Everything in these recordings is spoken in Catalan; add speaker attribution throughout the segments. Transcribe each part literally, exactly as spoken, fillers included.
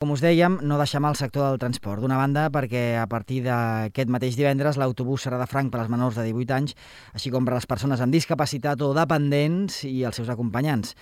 Speaker 1: Com us dèiem, no deixem el sector del transport. D'una banda, perquè a partir d'aquest mateix divendres l'autobús serà de franc per als menors de divuit anys, així com per a les persones amb discapacitat o dependents i els seus acompanyants.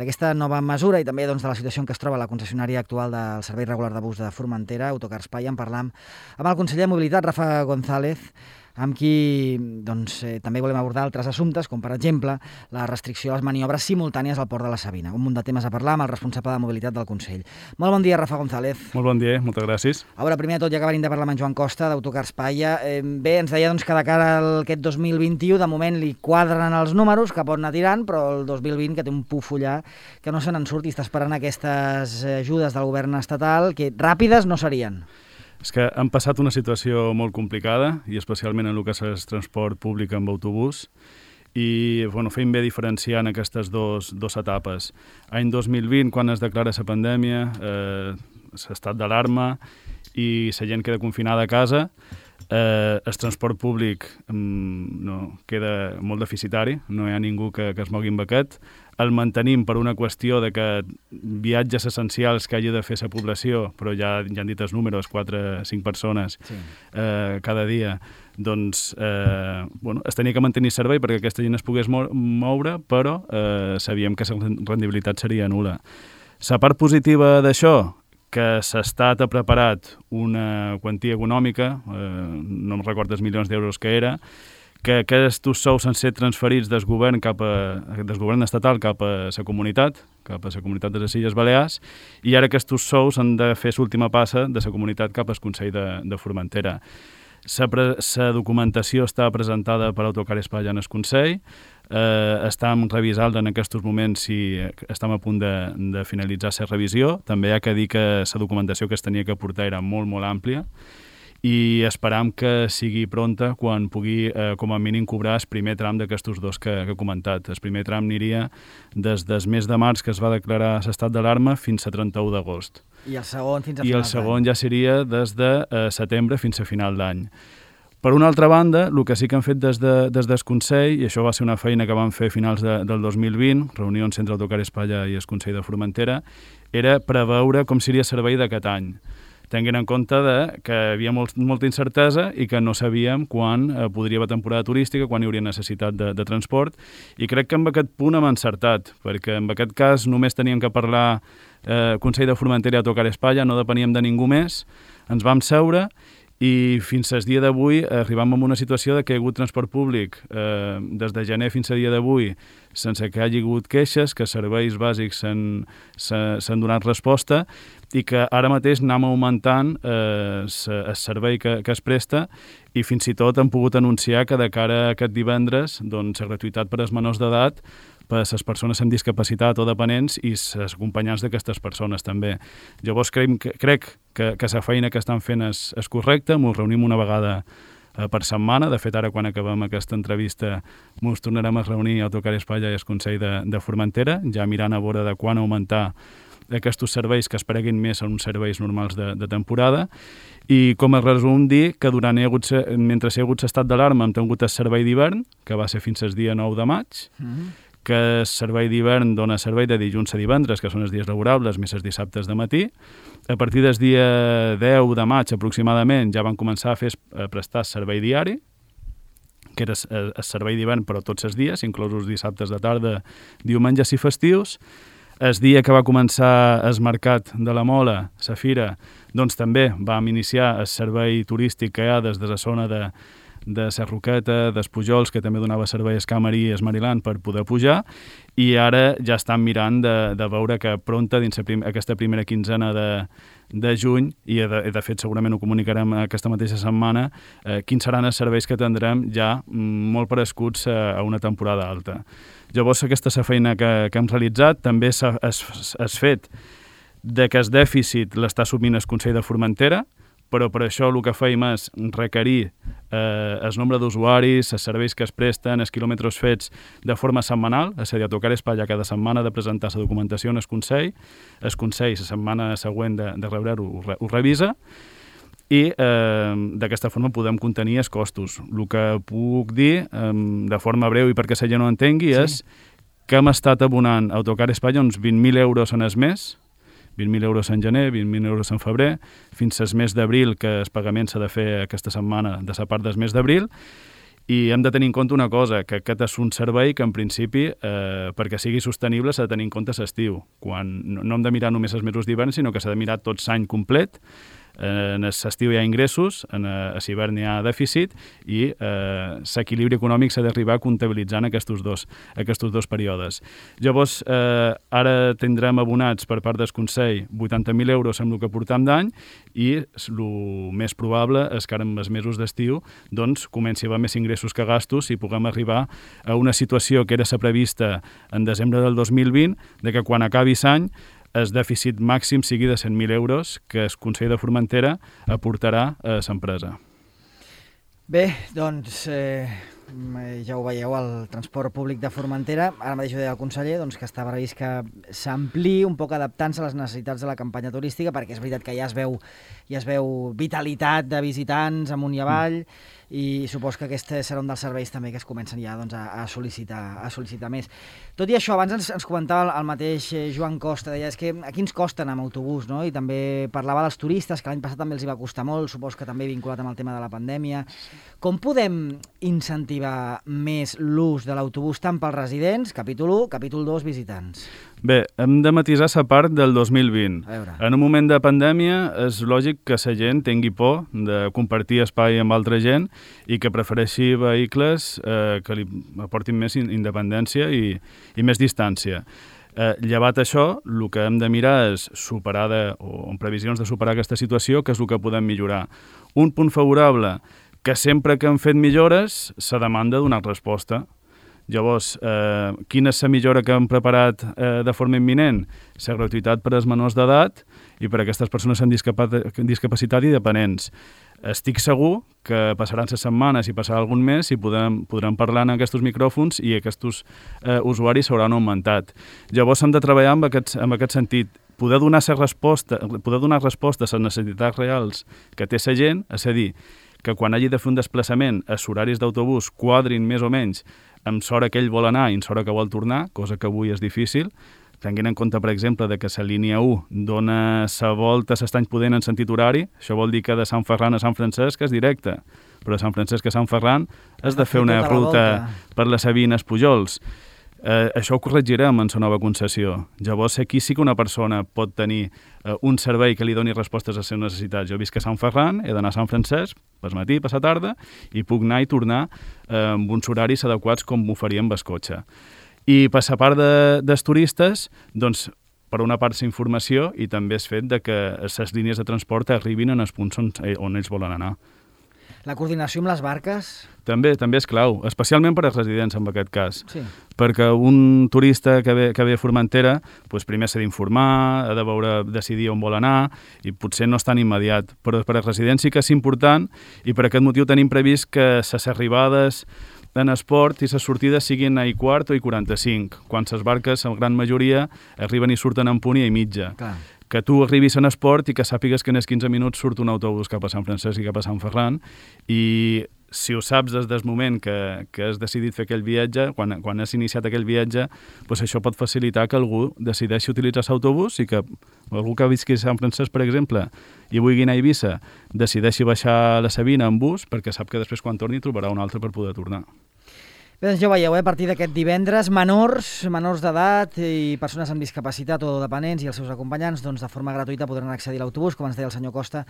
Speaker 1: D'aquesta nova mesura i també doncs, de la situació en què es troba la concessionària actual del servei regular de bus de Formentera, Autocar Espai, en parlam amb el conseller de Mobilitat, Rafa González, amb qui doncs, eh, també volem abordar altres assumptes, com per exemple la restricció a les maniobres simultànies al port de la Sabina. Un munt de temes a parlar amb el responsable de mobilitat del Consell. Molt bon dia, Rafa González.
Speaker 2: Molt bon dia, moltes gràcies.
Speaker 1: A veure, primer de tot, ja que venim de parlar amb en Joan Costa, d'Autocar Espai, eh, bé, ens deia doncs, que de cara a aquest dos mil vint-i-u, de moment li quadren els números, que pot anar tirant, però el dos mil vint, que té un pufollar, que no se n'en surt i està esperant aquestes ajudes del govern estatal, que ràpides no serien.
Speaker 2: És que han passat una situació molt complicada, i especialment en el que és transport públic amb autobús, i bueno, feim bé diferenciar en aquestes dos, dos etapes. Any dos mil vint, quan es declara la pandèmia, eh, l'estat d'alarma i la gent queda confinada a casa, eh, el transport públic mm, no, queda molt deficitari, no hi ha ningú que, que es mogui amb aquest. El mantenim per una qüestió de que viatges essencials que hagi de fer la població, però ja, ja han dit els números, quatre o cinc persones sí. eh, cada dia, doncs eh, bueno, es tenia que mantenir servei perquè aquesta gent es pogués moure, però eh, sabíem que la rendibilitat seria nul·la. La part positiva d'això, que l'Estat ha preparat una quantia econòmica, eh, no em recordo els milions d'euros que era, que aquests sous han set transferits del govern, cap a, del govern estatal cap a la comunitat, cap a la comunitat de les Illes Balears, i ara aquests sous han de fer l'última passa de la comunitat cap al Consell de, de Formentera. La documentació està presentada per Autocar Espai en el Consell, eh, estem revisant en aquests moments si estem a punt de, de finalitzar la revisió. També hi ha que dir que la documentació que es tenia que portar era molt, molt àmplia, i esperam que sigui pronta quan pugui, eh, com a mínim, cobrar el primer tram d'aquests dos que, que he comentat. El primer tram aniria des del mes de març, que es va declarar l'estat d'alarma, fins a trenta-u d'agost.
Speaker 1: I el segon fins a
Speaker 2: I
Speaker 1: final
Speaker 2: el segon ja seria des de eh, setembre fins a final d'any. Per una altra banda, el que sí que han fet des, de, des del Consell, i això va ser una feina que van fer a finals de, del dos mil vint, reunions entre Autocar Espai i el Consell de Formentera, era preveure com seria el servei d'aquest any. Tenint en compte de que hi havia molt, molta incertesa i que no sabíem quan eh, podria haver temporada turística, quan hi hauria necessitat de, de transport, i crec que en aquest punt hem encertat, perquè en aquest cas només teníem que parlar eh, Consell de Formentera i Autocar Espai, no depeníem de ningú més, ens vam seure i fins al dia d'avui arribam a una situació de que hi ha hagut transport públic eh, des de gener fins al dia d'avui sense que hi hagi hagut queixes, que serveis bàsics s'han donat resposta i que ara mateix anem augmentant eh, el servei que, que es presta, i fins i tot hem pogut anunciar que de cara a aquest divendres doncs, la gratuïtat per als menors d'edat per a les persones amb discapacitat o dependents i els acompanyants d'aquestes persones també. Llavors crec, crec que, que la feina que estan fent és, és correcta, ens reunim una vegada eh, per setmana. De fet, ara quan acabem aquesta entrevista ens tornarem a reunir a Autocar Espai i al Consell de, de Formentera, ja mirant a veure de quan augmentar aquests serveis que es pareguin més a uns serveis normals de, de temporada. I com a resum dir que durant hi ha hagut, mentre hi ha hagut l'estat d'alarma hem tingut el servei d'hivern, que va ser fins al dia nou de maig, mm-hmm. que el servei d'hivern dona servei de dilluns a divendres, que són els dies laborables, més els dissabtes de matí. A partir del dia deu de maig aproximadament ja van començar a, fer, a prestar servei diari, que era el servei d'hivern però tots els dies, inclosos dissabtes de tarda, diumenges i festius. El dia que va començar el mercat de la Mola, la fira, doncs també vam iniciar el servei turístic que hi ha des de la zona de, de la Roqueta, dels Pujols, que també donava servei a Escamarí i a Esmariland per poder pujar, i ara ja estan mirant de, de veure que pronta, dins prim, aquesta primera quinzena de, de juny, i de, de fet segurament ho comunicarem aquesta mateixa setmana, eh, quins seran els serveis que tindrem ja molt prescuts a, a una temporada alta. Llavors, aquesta és la feina que, que hem realitzat. També s'ha fet de que el dèficit l'està assumint el Consell de Formentera, però per això el que feim és requerir eh, el nombre d'usuaris, els serveis que es presten, els quilòmetres fets de forma setmanal, és a dir, a Autocar Espai cada setmana de presentar la documentació en el Consell, el Consell la setmana següent de, de rebre-ho ho, ho revisa, i eh, d'aquesta forma podem contenir els costos. El que puc dir, eh, de forma breu i perquè la gent no entengui, sí. és que hem estat abonant a Autocar Espai uns vint mil euros en el mes vint mil euros en gener, vint mil euros en febrer, fins al mes d'abril, que el pagament s'ha de fer aquesta setmana de la part del mes d'abril, i hem de tenir en compte una cosa, que aquest és un servei que en principi, eh, perquè sigui sostenible, s'ha de tenir en compte l'estiu. Quan no, no hem de mirar només els mesos d'hivern, sinó que s'ha de mirar tot l'any complet. En l'estiu hi ha ingressos, en l'hivern hi ha dèficit i eh, l'equilibri econòmic s'ha d'arribar comptabilitzant aquests dos, aquests dos períodes. Llavors, eh, ara tindrem abonats per part del Consell vuitanta mil euros amb el que portam d'any i el més probable és que ara en els mesos d'estiu doncs, comenci a haver més ingressos que gastos i puguem arribar a una situació que era la prevista en desembre del dos mil vint, de que quan acabi l'any el dèficit màxim sigui de cent mil euros que el Consell de Formentera aportarà a l'empresa.
Speaker 1: Bé, doncs eh, ja ho veieu, el transport públic de Formentera, ara mateix ho deia el conseller, doncs, que està previst que s'ampliï un poc adaptant-se a les necessitats de la campanya turística, perquè és veritat que ja es veu, ja es veu vitalitat de visitants amunt i avall, mm. i supos que aquest serà un dels serveis també que es comencen ja doncs, a, a, sol·licitar, a sol·licitar més. Tot i això, abans ens, ens comentava el mateix Joan Costa, deia, és que aquí ens costa anar amb autobús, no? I també parlava dels turistes, que l'any passat també els hi va costar molt, supos que també vinculat amb el tema de la pandèmia. Com podem incentivar més l'ús de l'autobús tant pels residents, capítol u, capítol dos, visitants?
Speaker 2: Bé, hem de matisar la part del dos mil vint. En un moment de pandèmia és lògic que la gent tingui por de compartir espai amb altra gent i que prefereixi vehicles eh, que li aportin més independència i, i més distància. Eh, llevat això, el que hem de mirar és superar, de, o en previsions de superar aquesta situació, que és el que podem millorar. Un punt favorable, que sempre que hem fet millores, se demanda donar resposta. Llavors, eh, quina és la millora que hem preparat eh, de forma imminent? La gratuïtat per als menors d'edat i per a aquestes persones amb discapacitat i dependents. Estic segur que passaran les setmanes i passarà algun mes i podrem, podrem parlar en aquests micròfons i aquests eh, usuaris s'hauran augmentat. Llavors hem de treballar amb aquest, amb aquest sentit. Poder donar, resposta, poder donar resposta a les necessitats reals que té la gent, és a dir, que quan hagi de fer un desplaçament els horaris d'autobús quadrin més o menys amb l'hora que ell vol anar i amb l'hora que vol tornar, cosa que avui és difícil, tenint en compte, per exemple, de que la línia u dona la volta a l'Estany Pudent en sentit horari, això vol dir que de Sant Ferran a Sant Francesc és directe, però de Sant Francesc a Sant Ferran has de fer una ruta per les Sabines Pujols. Eh, això ho corregirem en la nova concessió. Llavors, aquí sí que una persona pot tenir eh, un servei que li doni respostes a les seves necessitats. Jo visc a Sant Ferran, he d'anar a Sant Francesc, per matí, per la tarda, i puc anar i tornar eh, amb uns horaris adequats com m'ho faria amb el cotxe. I per la part de, dels turistes, doncs, per una part la informació i també és fet de que les línies de transport arribin en els punts on, on ells volen anar.
Speaker 1: La coordinació amb les barques?
Speaker 2: També també és clau, especialment per als residents en aquest cas.
Speaker 1: Sí.
Speaker 2: Perquè un turista que ve, que ve a Formentera doncs primer s'ha d'informar, ha de veure, decidir on vol anar i potser no és tan immediat. Però per als residents sí que és important i per aquest motiu tenim previst que les arribades en esport i les sortides siguin a i quart o i quaranta-cinc, quan les barques, en gran majoria, arriben i surten en punt i a mitja.
Speaker 1: Clar.
Speaker 2: Que tu arribis en esport i que sàpigues que en els quinze minuts surt un autobús cap a Sant Francesc i cap a Sant Ferran i si ho saps des del moment que, que has decidit fer aquell viatge, quan, quan has iniciat aquell viatge, doncs això pot facilitar que algú decideixi utilitzar l'autobús i que algú que visqui a Sant Francesc, per exemple, i vulgui anar a Eivissa, decideixi baixar a la Sabina en bus perquè sap que després quan torni trobarà un altre per poder tornar.
Speaker 1: Bé, doncs ja ho veieu, eh? A partir d'aquest divendres, menors, menors d'edat i persones amb discapacitat o dependents i els seus acompanyants, doncs de forma gratuïta podran accedir a l'autobús, com ens deia el senyor Costa,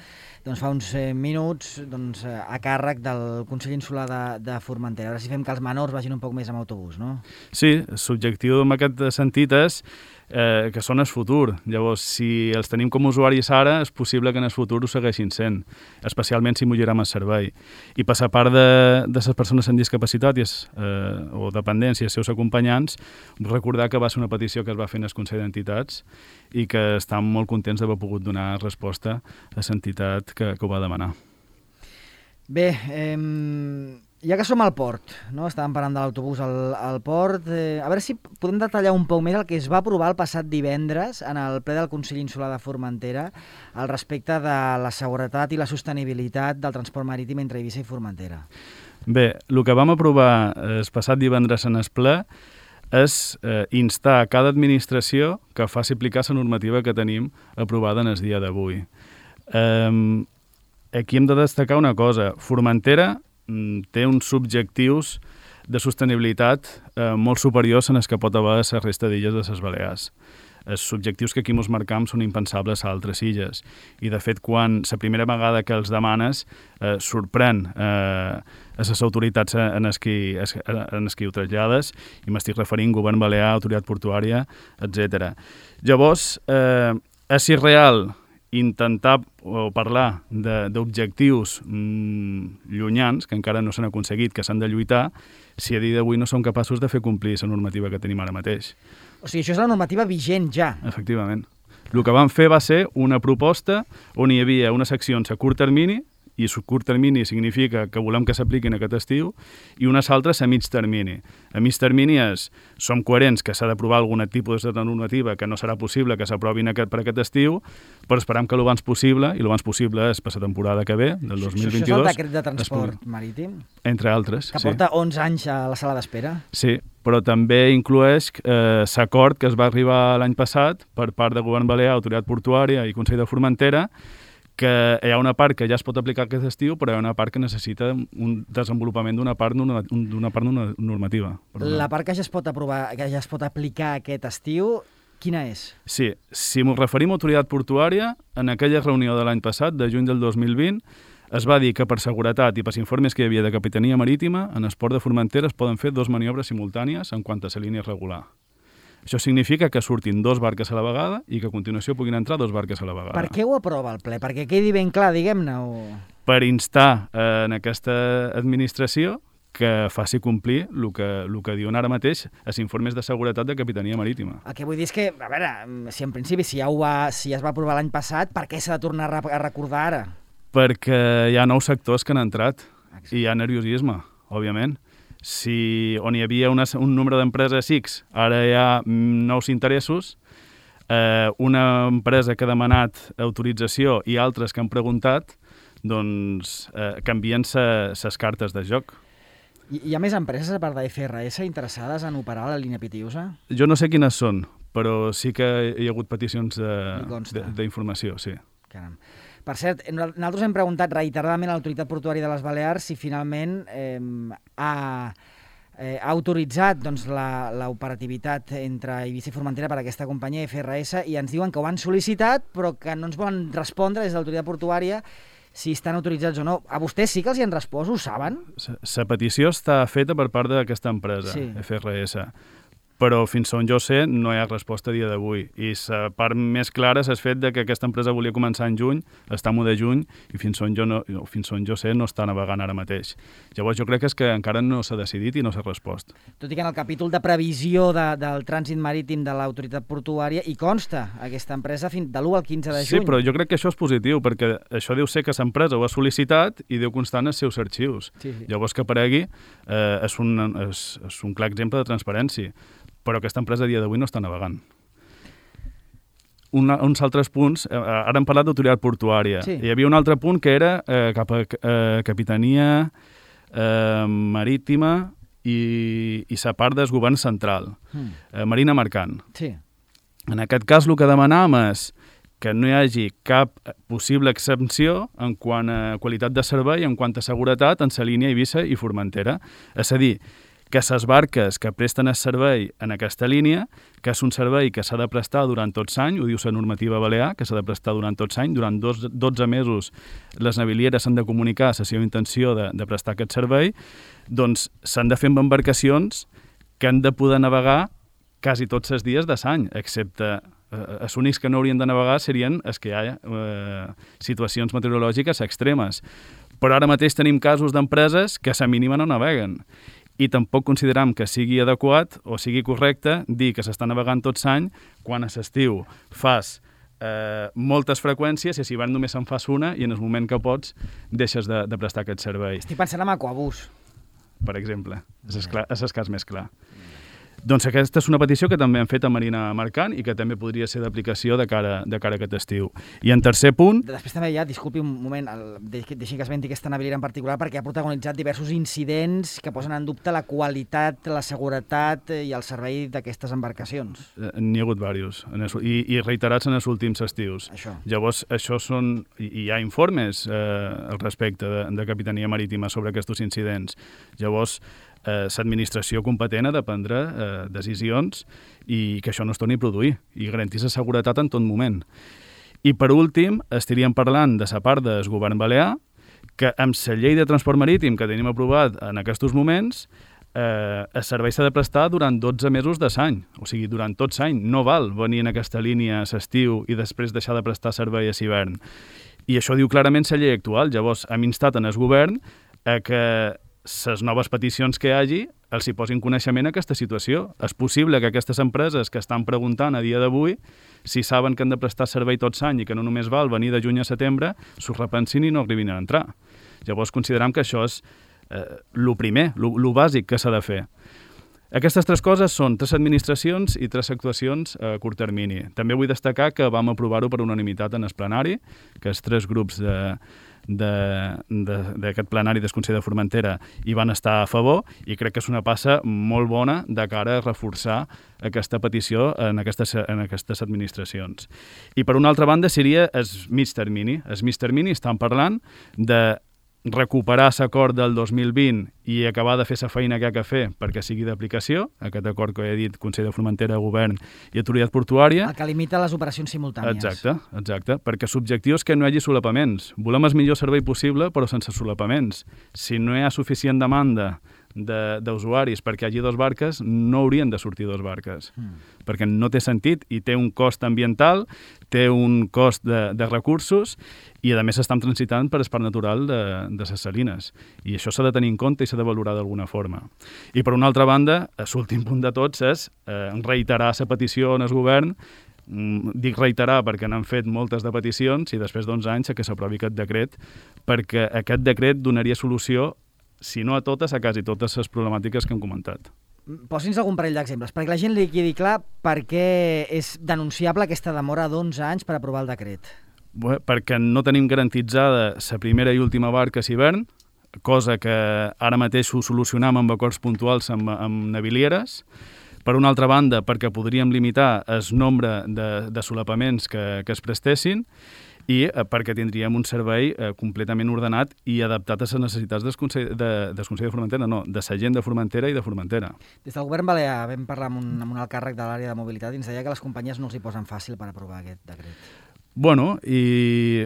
Speaker 1: doncs fa uns eh, minuts doncs, eh, a càrrec del Consell Insular de, de Formentera. A veure si fem que els menors vagin un poc més amb autobús, no?
Speaker 2: Sí, l'objectiu en aquest sentit és eh, que són el futur. Llavors, si els tenim com a usuaris ara, és possible que en el futur ho segueixin sent, especialment si millorem el servei. I per la part de, de les persones amb discapacitat i es, eh, o dependència i els seus acompanyants, recordar que va ser una petició que es va fer en el Consell d'Entitats i que estan molt contents d'haver pogut donar resposta a l'entitat que, que ho va demanar.
Speaker 1: Bé, eh, ja que som al port, no? Estàvem parlant de l'autobús al, al port, eh, a veure si podem detallar un poc més el que es va aprovar el passat divendres en el ple del Consell Insular de Formentera al respecte de la seguretat i la sostenibilitat del transport marítim entre Eivissa i Formentera.
Speaker 2: Bé, el que vam aprovar el passat divendres en el ple és eh, instar a cada administració que faci aplicar la normativa que tenim aprovada en el dia d'avui. Eh, aquí hem de destacar una cosa. Formentera mm, té uns objectius de sostenibilitat eh, molt superiors en els que pot haver la resta d'illes de les Balears. Els objectius que aquí ens marcam són impensables a altres illes. I, de fet, quan la primera vegada que els demanes eh, sorprèn eh, a les autoritats en els qui, en els qui ho trasllades, i m'estic referint govern balear, autoritat portuària, etcètera. Llavors, eh, és irreal intentar o parlar d'objectius mmm, llunyans, que encara no s'han aconseguit, que s'han de lluitar, si a dia d'avui no som capaços de fer complir la normativa que tenim ara mateix.
Speaker 1: O sigui, això és la normativa vigent ja.
Speaker 2: Efectivament. El que vam fer va ser una proposta on hi havia unes accions a curt termini, i a curt termini significa que volem que s'apliquin aquest estiu, i unes altres a mig termini. A mig termini és, som coherents que s'ha d'aprovar algun tipus de normativa que no serà possible que s'aprovin aquest, per aquest estiu, però esperam que l'abans possible, i l'abans possible és per la temporada que ve, del dos mil vint-i-dos.
Speaker 1: Això és el decret de transport marítim?
Speaker 2: Entre altres,
Speaker 1: que
Speaker 2: sí.
Speaker 1: porta onze anys a la sala d'espera?
Speaker 2: Sí, però també inclueix eh, l'acord que es va arribar l'any passat per part del govern balear, autoritat portuària i Consell de Formentera, que hi ha una part que ja es pot aplicar aquest estiu, però hi ha una part que necessita un desenvolupament d'una part, d'una part normativa.
Speaker 1: La part que ja es pot aprovar, que ja es pot aplicar aquest estiu, quina és?
Speaker 2: Sí, si ens referim a autoritat portuària, en aquella reunió de l'any passat, de juny del dos mil vint, es va dir que per seguretat i pels informes que hi havia de Capitania Marítima, en el port de Formentera es poden fer dos maniobres simultànies en quant a la línia regular. Això significa que surtin dos barques a la vegada i que a continuació puguin entrar dos barques a la vegada.
Speaker 1: Per què ho aprova el ple? Perquè quedi ben clar, diguem-ne? O...
Speaker 2: Per instar eh, en aquesta administració que faci complir el que, el que diuen ara mateix els informes de seguretat de Capitania Marítima.
Speaker 1: El que vull dir és que, a veure, si en principi si ja, ho va, si ja es va aprovar l'any passat, per què s'ha de tornar a recordar ara?
Speaker 2: Perquè hi ha nous sectors que han entrat. Exacte. I hi ha nerviosisme, òbviament. Si on hi havia una, un número d'empreses X, ara hi ha nous interessos, eh, una empresa que ha demanat autorització i altres que han preguntat, doncs eh, canvien les cartes de joc.
Speaker 1: I hi ha més empreses, a part de F R S, interessades en operar la línia Pitiusa?
Speaker 2: Jo no sé quines són, però sí que hi ha hagut peticions d'informació, sí.
Speaker 1: Caram. Per cert, nosaltres hem preguntat reiteradament a l'autoritat portuària de les Balears si finalment eh, ha, eh, ha autoritzat doncs, l'operativitat entre Eivissa i Formentera per a aquesta companyia F R S i ens diuen que ho han sol·licitat però que no ens volen respondre des de l'autoritat portuària si estan autoritzats o no. A vostès sí que els hi han respost, ho saben?
Speaker 2: La petició està feta per part d'aquesta empresa, sí. F R S. Però fins on jo sé no hi ha resposta a dia d'avui. I la part més clara és el fet de que aquesta empresa volia començar en juny, estem de juny, i fins on jo, no, fins on jo sé no està navegant ara mateix. Llavors jo crec que és que encara no s'ha decidit i no s'ha respost.
Speaker 1: Tot i que en el capítol de previsió de, del trànsit marítim de l'autoritat portuària hi consta aquesta empresa fins de l'u al quinze de juny.
Speaker 2: Sí, però jo crec que això és positiu, perquè això deu ser que l'empresa ho ha sol·licitat i deu constar en els seus arxius. Sí, sí. Llavors que aparegui eh, és, un, és, és un clar exemple de transparència. Però aquesta empresa a dia d'avui no està navegant. Una, uns altres punts, eh, ara hem parlat d'autoritat portuària, sí. Hi havia un altre punt que era eh, cap a eh, Capitania eh, Marítima i, i la part del govern central, mm. eh, Marina Mercant.
Speaker 1: Sí.
Speaker 2: En aquest cas el que demanàvem és que no hi hagi cap possible exempció en quant a qualitat de servei, en quant a seguretat en la línia Eivissa i Formentera. És a dir, que les barques que presten el servei en aquesta línia, que és un servei que s'ha de prestar durant tot l'any, ho diu la normativa balear, que s'ha de prestar durant tot l'any, durant dos, dotze mesos les navilieres s'han de comunicar la seva intenció de, de prestar aquest servei, doncs s'han de fer amb embarcacions que han de poder navegar quasi tots els dies de l'any, excepte eh, els únics que no haurien de navegar serien els que hi ha eh, situacions meteorològiques extremes. Però ara mateix tenim casos d'empreses que a la mínima no naveguen. I tampoc consideram que sigui adequat o sigui correcte dir que s'està navegant tot l'any quan a l'estiu fas eh, moltes freqüències i a l'hivern només en fas una i en el moment que pots deixes de, de prestar aquest servei.
Speaker 1: Estic pensant en Aquabús.
Speaker 2: Per exemple, és el cas més clar. Doncs aquesta és una petició que també hem fet a Marina Mercant i que també podria ser d'aplicació de cara, de cara a aquest estiu. I en tercer punt...
Speaker 1: Després també ja, disculpi un moment, el, deixi que esmenti aquesta naviera en particular, perquè ha protagonitzat diversos incidents que posen en dubte la qualitat, la seguretat i el servei d'aquestes embarcacions.
Speaker 2: Eh, N'hi ha hagut diversos, i, i reiterats en els últims estius.
Speaker 1: Això.
Speaker 2: Llavors, això són... Hi ha informes eh, al respecte de, de Capitania Marítima sobre aquests incidents. Llavors, Eh, l'administració competent ha de prendre eh, decisions i que això no es torni a produir i garantir la seguretat en tot moment. I per últim, estaríem parlant de la part del govern balear, que amb la llei de transport marítim que tenim aprovat en aquests moments, eh, el servei s'ha de prestar durant dotze mesos de l'any, o sigui, durant tot l'any. No val venir en aquesta línia a l'estiu i després deixar de prestar servei a l'hivern. I això diu clarament la llei actual. Llavors, hem instat en el govern a que les noves peticions que hi hagi els hi posin coneixement a aquesta situació. És possible que aquestes empreses que estan preguntant a dia d'avui, si saben que han de prestar servei tot l'any i que no només val venir de juny a setembre, s'ho repensin i no arribin a entrar. Llavors considerem que això és eh, lo primer, lo, lo bàsic que s'ha de fer. Aquestes tres coses són tres administracions i tres actuacions a curt termini. També vull destacar que vam aprovar-ho per unanimitat en el plenari, que els tres grups de d'aquest plenari del Consell de Formentera hi van estar a favor i crec que és una passa molt bona de cara a reforçar aquesta petició en aquestes, en aquestes administracions. I per una altra banda seria el mig termini. El mig termini estan parlant de recuperar l'acord del dos mil vint i acabar de fer la feina que ha de fer perquè sigui d'aplicació, aquest acord que he dit Consell de Formentera, Govern i Autoritat Portuària.
Speaker 1: El que limita les operacions simultànies.
Speaker 2: Exacte, exacte, perquè l'objectiu és que no hi hagi solapaments. Volem el millor servei possible però sense solapaments. Si no hi ha suficient demanda d'usuaris perquè hi hagi dos barques, no haurien de sortir dos barques, mm. perquè no té sentit i té un cost ambiental, té un cost de, de recursos i a més estan transitant per el parc natural de, de les salines. I això s'ha de tenir en compte i s'ha de valorar d'alguna forma. I per una altra banda, l'últim punt de tots és eh, reiterar la petició en el govern. Dic reiterar perquè n'han fet moltes de peticions i després d'onze anys que s'aprovi aquest decret, perquè aquest decret donaria solució, si no a totes, a quasi totes les problemàtiques que hem comentat.
Speaker 1: Posi'ns algun parell d'exemples, perquè la gent li quedi clar per què és denunciable aquesta demora d'onze anys per aprovar el decret.
Speaker 2: Bé, perquè no tenim garantitzada la primera i última barca a l'hivern, cosa que ara mateix ho solucionam amb acords puntuals amb, amb navilieres. Per una altra banda, perquè podríem limitar el nombre de, de solapaments que, que es prestessin, i eh, perquè tindríem un servei eh, completament ordenat i adaptat a les necessitats del Consell de, del Consell de Formentera, no, de la gent de Formentera i de Formentera.
Speaker 1: Des del govern balear vam parlar amb un, amb un alt càrrec de l'àrea de mobilitat i ens deia que les companyies no els hi posen fàcil per aprovar aquest decret.
Speaker 2: Bueno, i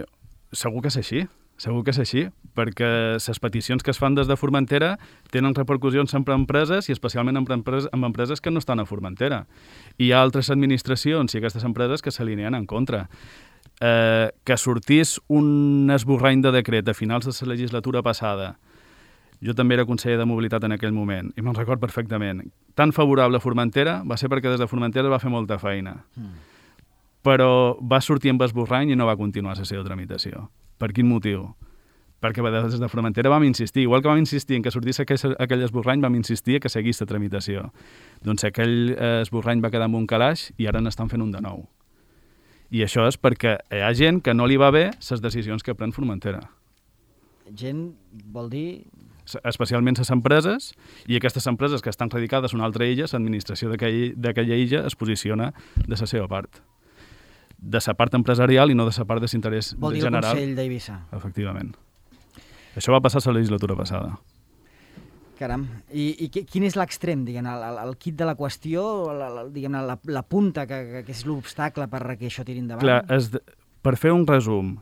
Speaker 2: segur que és així, segur que és així, perquè les peticions que es fan des de Formentera tenen repercussions sempre en empreses i especialment en empreses, en empreses que no estan a Formentera. I hi ha altres administracions i aquestes empreses que s'alineen en contra. Eh, que sortís un esborrany de decret a finals de la legislatura passada. Jo també era conseller de mobilitat en aquell moment i me'n record perfectament. Tan favorable a Formentera va ser perquè des de Formentera va fer molta feina. Mm. Però va sortir amb esborrany i no va continuar la seva tramitació. Per quin motiu? Perquè des de Formentera vam insistir, igual que vam insistir en que sortís aquell, aquell esborrany, vam insistir que seguís la tramitació. Doncs aquell esborrany va quedar amb un calaix i ara n'estan fent un de nou. I això és perquè hi ha gent que no li va bé les decisions que pren Formentera.
Speaker 1: Gent vol dir...
Speaker 2: Especialment les empreses, i aquestes empreses que estan radicades a una altra illa, l'administració d'aquella illa es posiciona de la seva part. De la part empresarial i no de la part de l'interès general.
Speaker 1: Vol dir el Consell d'Eivissa.
Speaker 2: Efectivament. Això va passar a la legislatura passada.
Speaker 1: Caram. I, i quin és l'extrem, diguem, el, el, el kit de la qüestió, la, la, diguem, la, la punta que, que és l'obstacle per que això tiri endavant?
Speaker 2: Clar, es, per fer un resum,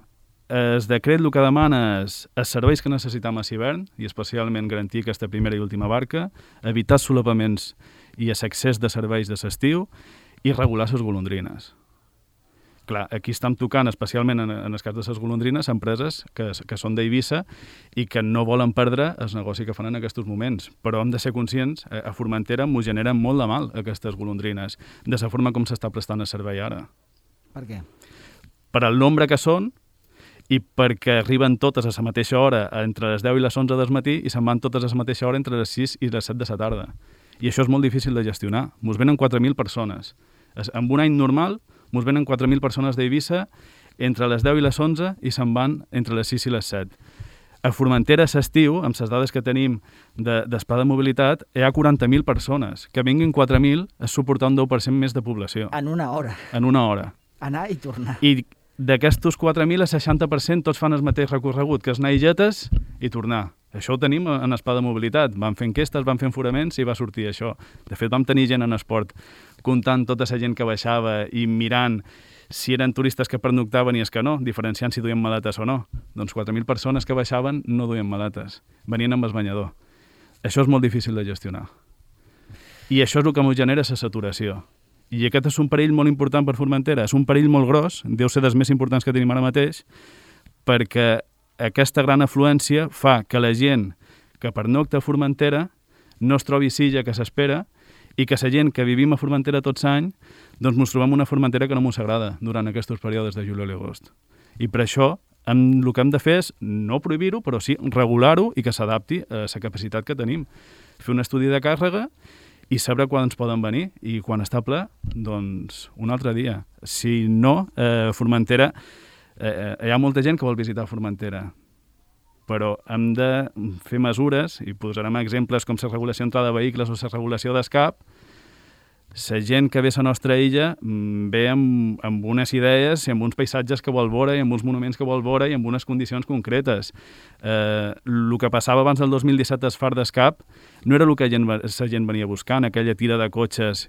Speaker 2: el decret el que demana és els serveis que necessitem a l'hivern, i especialment garantir aquesta primera i última barca, evitar solapaments i l'accés de serveis de l'estiu i regular les golondrines. Clar, aquí estem tocant, especialment en, en el cas de les golondrines, empreses que, que són d'Eivissa i que no volen perdre el negoci que fan en aquests moments. Però hem de ser conscients, a Formentera m'ho generen molt de mal, aquestes golondrines, de la forma com s'està prestant el servei ara.
Speaker 1: Per què?
Speaker 2: Per al nombre que són i perquè arriben totes a la mateixa hora entre les deu i les onze del matí i se'n van totes a la mateixa hora entre les sis i les set de la tarda. I això és molt difícil de gestionar. Mos venen quatre mil persones. En un any normal, mos venen quatre mil persones d'Eivissa entre les deu i les onze i se'n van entre les sis i les set. A Formentera s'estiu, amb les dades que tenim de, d'Esplà de Mobilitat, hi ha quaranta mil persones. Que vinguin quatre mil és suportar un deu per cent més de població.
Speaker 1: En una hora.
Speaker 2: En una hora.
Speaker 1: Anar i tornar.
Speaker 2: I d'aquestos quatre mil, el seixanta per cent tots fan el mateix recorregut, que és anar i jetes i tornar. Això ho tenim en Esplà de Mobilitat. Van fer enquestes, van fer enforaments i va sortir això. De fet, vam tenir gent en esport comptant tota la gent que baixava i mirant si eren turistes que pernoctaven i és que no, diferenciant si duien maletes o no. Doncs quatre mil persones que baixaven no duien maletes, venien amb el banyador. Això és molt difícil de gestionar. I això és el que m'ho genera la saturació. I aquest és un perill molt important per Formentera. És un perill molt gros, deu ser dels més importants que tenim ara mateix, perquè aquesta gran afluència fa que la gent que pernocta a Formentera no es trobi silla que s'espera i que la gent que vivim a Formentera tots l'any doncs ens trobem una Formentera que no ens agrada durant aquests períodes de juliol i agost. I per això hem, el que hem de fer és no prohibir-ho, però sí regular-ho i que s'adapti a la capacitat que tenim. Fer un estudi de càrrega i saber quan ens poden venir i quan està ple, doncs un altre dia. Si no, eh, Formentera, eh, hi ha molta gent que vol visitar Formentera, però hem de fer mesures, i posarem exemples com la regulació d'entrada de vehicles o la regulació d'escap. La gent que ve a la nostra illa ve amb, amb unes idees i amb uns paisatges que vol veure i amb uns monuments que vol veure i amb unes condicions concretes. Eh, el que passava abans del dos mil disset al Far d'Escap no era el que la gent, la gent venia buscant, aquella tira de cotxes.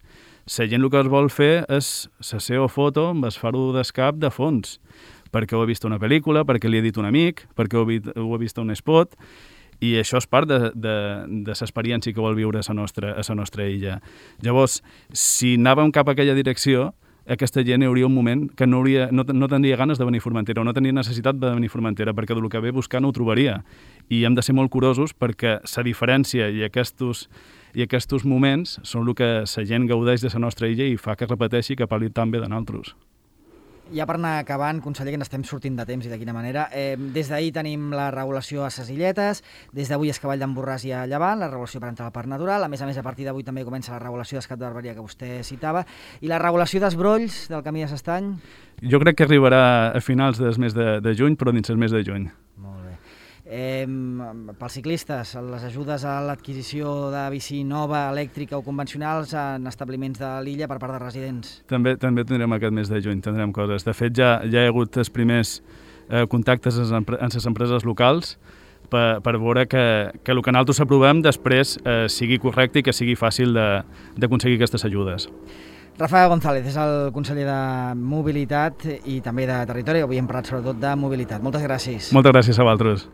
Speaker 2: La gent el que es vol fer és la seva foto amb el faro d'escap de fons, perquè ho ha vist una pel·lícula, perquè li ha dit un amic, perquè ho ha vist, ho ha vist un spot, i això és part de, de, de l'experiència que vol viure a la nostra, a la nostra illa. Llavors, si anàvem cap a aquella direcció, aquesta gent hi hauria un moment que no, hauria, no, no tindria ganes de venir a Formentera o no tenia necessitat de venir a Formentera, perquè del que ve buscant ho trobaria. I hem de ser molt curosos perquè la diferència i aquests, i aquests moments són el que la gent gaudeix de la nostra illa i fa que repeteixi que parli tan bé de nosaltres.
Speaker 1: Ja per anar acabant, conseller, que ens estem sortint de temps i de quina manera, eh, des d'ahir tenim la regulació a ses Illetes, des d'avui és Cavall d'en Borràs i a Llevant, la regulació per entrar al Parc Natural, a més a més a partir d'avui també comença la regulació d'Escat de Barberia que vostè citava, i la regulació dels brolls del Camí de s'Estany?
Speaker 2: Jo crec que arribarà a finals del mes de, de juny, però dins el mes de juny.
Speaker 1: Molt bé. Eh, pels ciclistes, les ajudes a l'adquisició de bici nova, elèctrica o convencionals en establiments de l'illa per part de residents.
Speaker 2: També també tindrem aquest mes de juny, tindrem coses. De fet, ja, ja hi ha hagut els primers eh, contactes en les empreses locals per, per veure que, que el que nosaltres aprovem després eh, sigui correcte i que sigui fàcil d'aconseguir aquestes ajudes.
Speaker 1: Rafael González és el conseller de Mobilitat i també de Territori. Avui hem parlat sobretot de mobilitat. Moltes gràcies.
Speaker 2: Moltes gràcies a vosaltres.